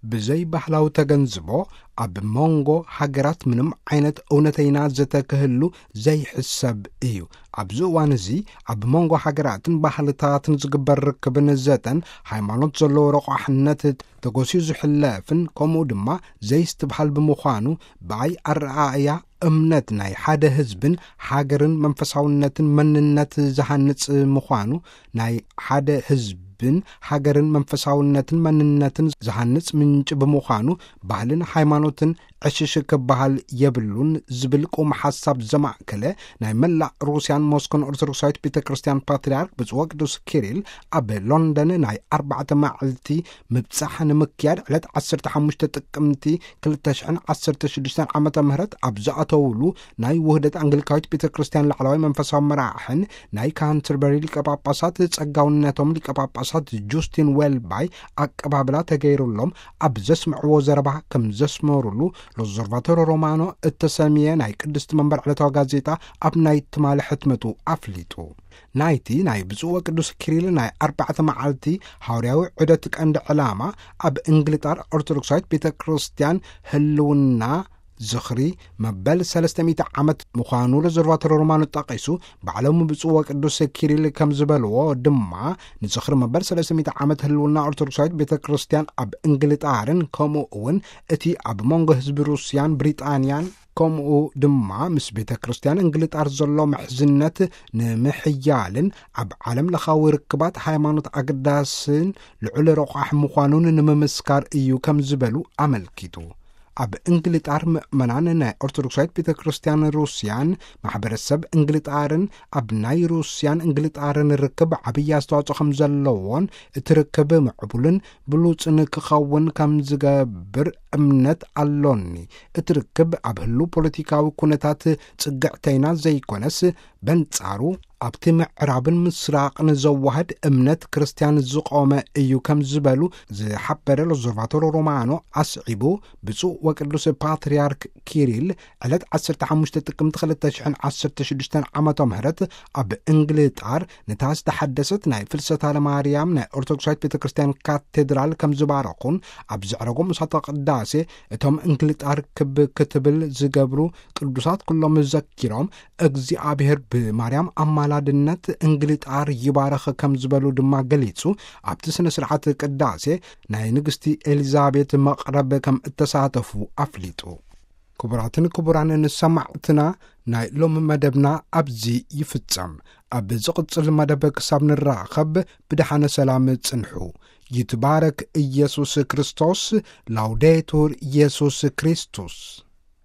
ብዘይ ባህላዊ ተገንዝቦ፣ ኣብ መንጎ ሃገራት ምንም ዓይነት እውነተይና ዘተ ክህሉ ዘይሕሰብ እዩ። ኣብዚ እዋን እዚ፣ ኣብ መንጎ ሃገራትን ባህልታትን ዝግበር ርክብን ዘተን፣ ሃይማኖት ዘለዎ ረቋሕነት ተጎስዩ ዝሕለፍን፣ ከምኡ ድማ ዘይስትብሃል ብምዃኑ፣ ብኣይ ኣረኣእያ እምነት ናይ ሓደ ህዝብን ሃገርን መንፈሳውነትን መንነት ዝሃንጽ ምዃኑ፣ ናይ ሓደ ህዝብን ሃገርን መንፈሳውነትን መንነትን ዝሃንጽ ምንጪ ብምዃኑ፣ ባህልን ሃይማኖትን ዕሽሽ ክበሃል የብሉን ዝብል ቁም ሓሳብ ዘማእከለ፣ ናይ መላእ ሩስያን ሞስኮን ኦርቶዶክሳዊት ቤተ ክርስቲያን ፓትርያርክ ብፁዕ ወቅዱስ ኪሪል ኣብ ሎንደን ናይ ኣርባዕተ መዓልቲ ምብጻሕ ንምክያድ ዕለት ዓሰርተ ሓሙሽተ ጥቅምቲ ክልተ ሽሕን ዓሰርተ ሽዱሽተን ዓመተ ምህረት ኣብ ዝኣተውሉ፣ ናይ ውህደት ኣንግሊካዊት ቤተ ክርስቲያን ላዕለዋይ መንፈሳዊ መራሕን ናይ ካንተርበሪ ሊቀ ጳጳሳት ጸጋውነቶም ሊቀ ጳጳሳት ጁስቲን ዌልባይ ኣቀባብላ ተገይሩሎም ኣብ ዘስምዕዎ ዘረባ ከም ዘስመሩሉ ሎዞርቫቶሮ ሮማኖ እተሰምየ ናይ ቅድስቲ መንበር ዕለታዊ ጋዜጣ ኣብ ናይ ትማሊ ሕትመቱ ኣፍሊጡ። ናይቲ ናይ ብፁዕ ወቅዱስ ኪሪል ናይ ኣርባዕተ መዓልቲ ሃዋርያዊ ዑደት ቀንዲ ዕላማ፣ ኣብ እንግሊጣር ኦርቶዶክሳዊት ቤተ ክርስቲያን ህልውና ዝኽሪ መበል ሰለስተ ሚእቲ ዓመት ምዃኑ ሎዞርቫቶሮ ሮማኖ ጠቒሱ፣ ባዕሎም ብፁዕ ወቅዱስ ኪሪል ከም ዝበልዎ ድማ፣ ንዝኽሪ መበል ሰለስተ ሚእቲ ዓመት ህልውና ኦርቶዶክሳዊት ቤተ ክርስቲያን ኣብ እንግሊጣርን፣ ከምኡ እውን እቲ ኣብ መንጎ ህዝቢ ሩስያን ብሪጣንያን፣ ከምኡ ድማ ምስ ቤተ ክርስቲያን እንግሊጣር ዘሎ ምሕዝነት ንምሕያልን ኣብ ዓለም ለኻዊ ርክባት ሃይማኖት ኣገዳስን ልዑል ረቋሕ ምዃኑን ንምምስካር እዩ ከም ዝበሉ ኣመልኪቱ። ኣብ እንግሊጣር ምእመናን ናይ ኦርቶዶክሳዊት ቤተ ክርስቲያን ሩስያን ማሕበረሰብ እንግሊጣርን ኣብ ናይ ሩስያን እንግሊጣርን ርክብ ዓብዪ ኣስተዋጽኦ ከም ዘለዎን፣ እቲ ርክብ ምዕቡልን ብሉጽን ክኸውን ከም ዝገብር እምነት ኣሎኒ። እቲ ርክብ ኣብ ህሉ ፖለቲካዊ ኩነታት ጽግዕተይና ዘይኮነስ፣ በንጻሩ ኣብቲ ምዕራብን ምስራቕን ዘዋህድ እምነት ክርስቲያን ዝቖመ እዩ ከም ዝበሉ ዝሓበረ ሎዞርቫቶሮ ሮማኖ ኣስዒቡ፣ ብፁዕ ወቅዱስ ፓትርያርክ ኪሪል ዕለት ዓሰርተ ሓሙሽተ ጥቅምቲ ክልተ ሽሕን ዓሰርተ ሽዱሽተን ዓመተ ምህረት ኣብ እንግሊጣር ነታ ዝተሓደሰት ናይ ፍልሰታ ለማርያም ናይ ኦርቶዶክሳዊት ቤተ ክርስቲያን ካቴድራል ከም ዝባረኹን፣ ኣብ ዘዕረጎ ምሳተ ቅዳሴ እቶም እንግሊጣር ክብ ክትብል ዝገብሩ ቅዱሳት ኩሎም ዘኪሮም፣ እግዚኣብሔር ብማርያም ኣማላድነት እንግሊጣር ይባረኽ ከም ዝበሉ ድማ ገሊጹ፣ ኣብቲ ስነ ስርዓት ቅዳሴ ናይ ንግስቲ ኤሊዛቤት መቕረብ ከም እተሳተፉ ኣፍሊጡ። ክቡራትን ክቡራን ንሰማዕትና፣ ናይ ሎም መደብና ኣብዚ ይፍጸም። ኣብ ዝቕጽል መደብ ክሳብ ንራኸብ ብደሓነ ሰላም ጽንሑ። ይትባረክ ኢየሱስ ክርስቶስ። ላውዴቱር ኢየሱስ ክርስቶስ።